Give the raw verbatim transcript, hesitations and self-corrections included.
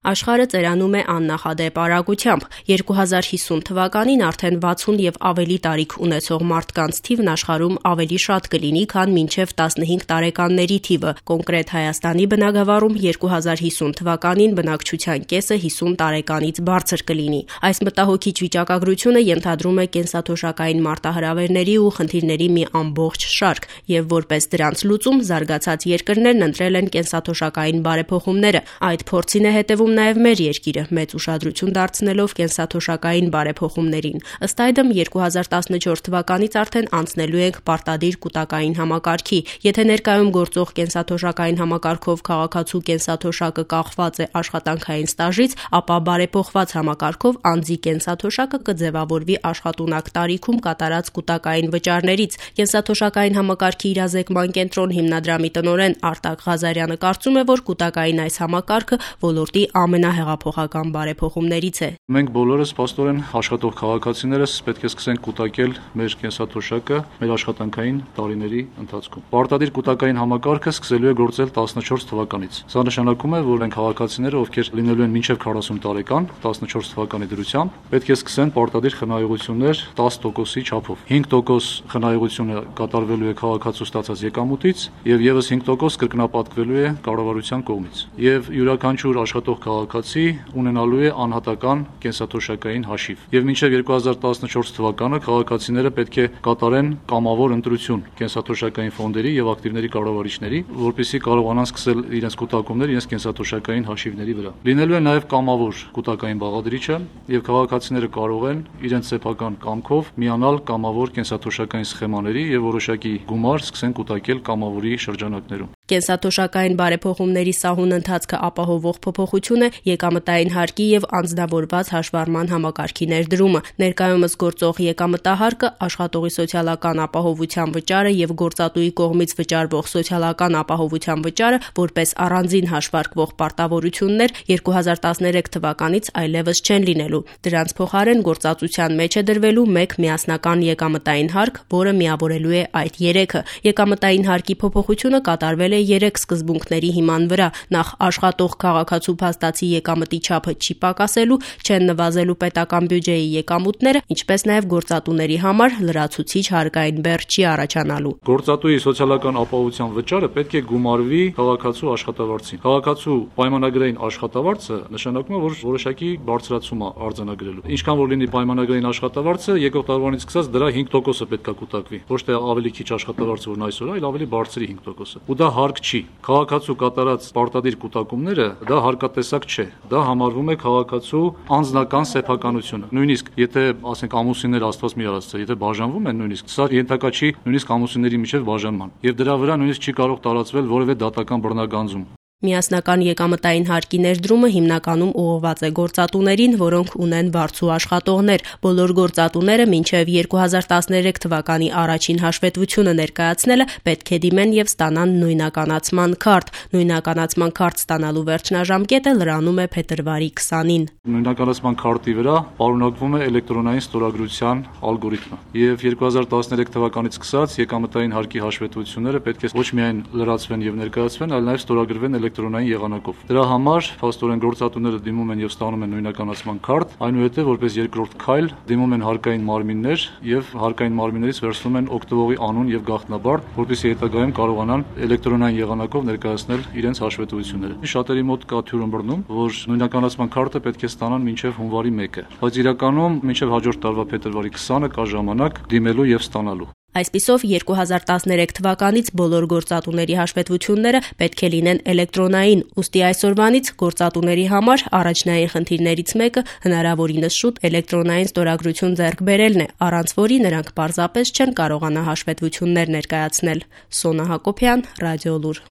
Աշխարհը ծերանում է աննախադեպ արագությամբ։ երկու հազար հիսուն թվականին արդեն վաթսուն եւ ավելի տարիք ունեցող մարդկանց թիվն աշխարհում ավելի շատ կլինի, քան մինչեւ տասնհինգ տարեկանների թիվը։ Կոնկրետ Հայաստանի բնագավառում երկու հազար հիսուն թվականին բնակչության կեսը հիսուն տարեկանից բարձր կլինի։ Այս մտահոգիչ վիճակագրությունը ենթադրում է կենսաթոշակային մարտահրավերների ու խնդիրների մի ամբողջ շարք, եւ որպես դրանց լուծում զարգացած երկրներն ընտրել են կենսաթոշակային բարեփոխումները։ Այդ փորձին է հետևում նաև մեր երկիրը, մեծ ուշադրություն դարձնելով կենսաթոշակային բարեփոխումներին։ Ըստ այդմ երկու հազար տասնչորս թվականից արդեն անցնելու ենք պարտադիր կուտակային համակարգի։ Եթե ներկայում գործող կենսաթոշակային համակարգով քաղաքացու կենսաթոշակը կախված է աշխատանքային ստաժից, ապա բարեփոխված համակարգով անձի կենսաթոշակը կձևավորվի աշխատունակ տարիքում կատարած կուտակային վճարներից։ Կենսաթոշակային համակարգի իրազեկման կենտրոն հիմնադրամի տնօրեն Արտակ Ղազարյանը կարծում է, որ կուտակային այս համակարգը ոլորտի ամենահեղափոխական բարեփոխումներից է։ Մենք բոլորս փաստորեն աշխատող քաղաքացիներս պետք է սկսենք կուտակել մեր կենսաթոշակը մեր աշխատանքային տարիների ընթացքում։ Պարտադիր կուտակային համակարգը սկսելու է գործել տասնչորս թվականից։ Սա նշանակում է, որ այն քաղաքացիները, ովքեր լինելու են մինչև քառասուն տարեկան, տասնչորս թվականի դրությամբ, պետք է սկսեն պարտադիր խնայողություններ տասը տոկոսի չափով։ հինգ տոկոս խնայողությունը կատարվելու է քաղաքացու ստացած եկամուտից եւ եւս հինգ տոկոս կրկնապատկվելու է կառավարության կողմից։ Եվ յուրաքանչյուր աշխատող քաղաքացի ունենալու է անհատական կենսաթոշակային հաշիվ։ Եվ մինչև երկու հազար տասնչորս թվականը քաղաքացիները պետք է կատարեն կամավոր ընտրություն կենսաթոշակային ֆոնդերի եւ ակտիվների կառավարիչների, որպեսզի կարողանան սկսել իրենց կուտակումները իրենց կենսաթոշակային հաշիվների վրա։ Լինելու է նաեւ կամավոր կուտակային բաղադրիչը եւ քաղաքացիները կարող են իրենց սեփական կամքով միանալ կամավոր կենսաթոշակային սխեմաների եւ որոշակի գումար սկսեն կուտակել կամավորի շրջանակներում։ Կենսաթոշակային բարեփոխումների սահուն ընթացքը ապահովող փոփոխություն է եկամտային հարկի եւ անձնավորված հաշվառման համակարգի ներդրումը։ Ներկայումս գործող եկամտահարկը, աշխատողի սոցիալական ապահովության վճարը եւ գործատուի կողմից վճարվող սոցիալական ապահովության վճարը որպես առանձին հաշվարկվող պարտավորություններ երկու հազար տասներեք թվականից այլևս չեն լինելու։ Դրանց փոխարեն գործածության մեջ է դրվելու մեկ միասնական եկամտային հարկ, որը միավորելու է այդ երեքը։ Եկամտային հարկի փոփոխությունը կատարվել է երեք սկզբունքների հիման վրա։ Նախ աշխատող քաղաքացու փաստացի եկամտի չափը չի պակասելու, չեն նվազելու պետական բյուջեի եկամուտները, ինչպես նաև գործատուների համար լրացուցիչ հարկային բեռ չի առաջանալու։ Գործատուի սոցիալական ապահովության վճարը պետք է գումարվի քաղաքացու աշխատավարձին։ Քաղաքացու պայմանագրային աշխատավարձը նշանակում է, որ որոշակի բարձրացում է արձանագրելու։ Ինչքան որ լինի պայմանագրային աշխատավարձը, եկող տարվանից սկսած դրա հինգ տոկոսը պետք է կուտակվի։ Ոչ թե ավելի քիչ աշխատավարձ որն այսօր է, այլ ավելի բարձրի հինգ տոկոսը։ Ու դա հարկ չի։ Քաղաքացու կատարած պարտադիր կուտակումները դա հարկատեսակ չէ, դա համարվում է քաղաքացու անձնական սեփականությունը։ Նույնիսկ եթե ասենք ամուսինները Աստված մի արածը, եթե բաժանվում են նույնիսկ, սա ենթակա չի նույնիսկ ամուսինների միջև բաժանման։ Եվ դրա վրա նույնիսկ չի կարող տարածվել որևէ դատական բռնագանձում։ Միասնական եկամտային հարկի ներդրումը հիմնականում ուղղված է գործատուներին, որոնք ունեն բարձու աշխատողներ։ Բոլոր գործատուները մինչև երկու հազար տասներեք թվականի առաջին հաշվետվությունը ներկայացնելը պետք է դիմեն եւ ստանան նույնականացման քարտ։ Նույնականացման քարտ ստանալու վերջնաժամկետը լրանում է փետրվարի քսանին։ Նույնականացման քարտի վրա պարունակվում է էլեկտրոնային ստորագրության ալգորիթմը։ Եվ երկու հազար տասներեք թվականից սկսած եկամտային հարկի հաշվետվությունները պետք է ոչ միայն լրացվեն եւ ներկայացվեն, այլ նաեւ ստորագրվեն էլեկտրոնային եղանակով։ Դրա համար փաստորեն գործատուները դիմում են եւ ստանում են նույնականացման քարտ, այնուհետեւ որպես երկրորդ քայլ դիմում են հարկային մարմիններ եւ հարկային մարմիններից վերցնում են օգտվողի անուն եւ գաղտնաբար, որպեսզի հետագայում կարողանան էլեկտրոնային եղանակով ներկայացնել իրենց հաշվետվությունները։ Շատերի մոտ կա թյուրըմբռնում, որ նույնականացման քարտը պետք է ստանան մինչեւ հունվարի մեկը, բայց իրականում մինչեւ հաջորդ տարվա փետրվարի քսանը կա ժամանակ դիմելու եւ ստանալու։ Այսպիսով երկու հազար տասներեք թվականից բոլոր գործատուների հաշվետվությունները պետք է լինեն էլեկտրոնային, ուստի այսօրվանից գործատուների համար առաջնային խնդիրներից մեկը հնարավորինս շուտ էլեկտրոնային ստորագրություն ձեռք բերելն է, առանց որի նրանք պարզապես չեն կարողանա հաշվետվություններ ներկայացնել։ Սոնա Հակոբյան, Ռադիոլուր։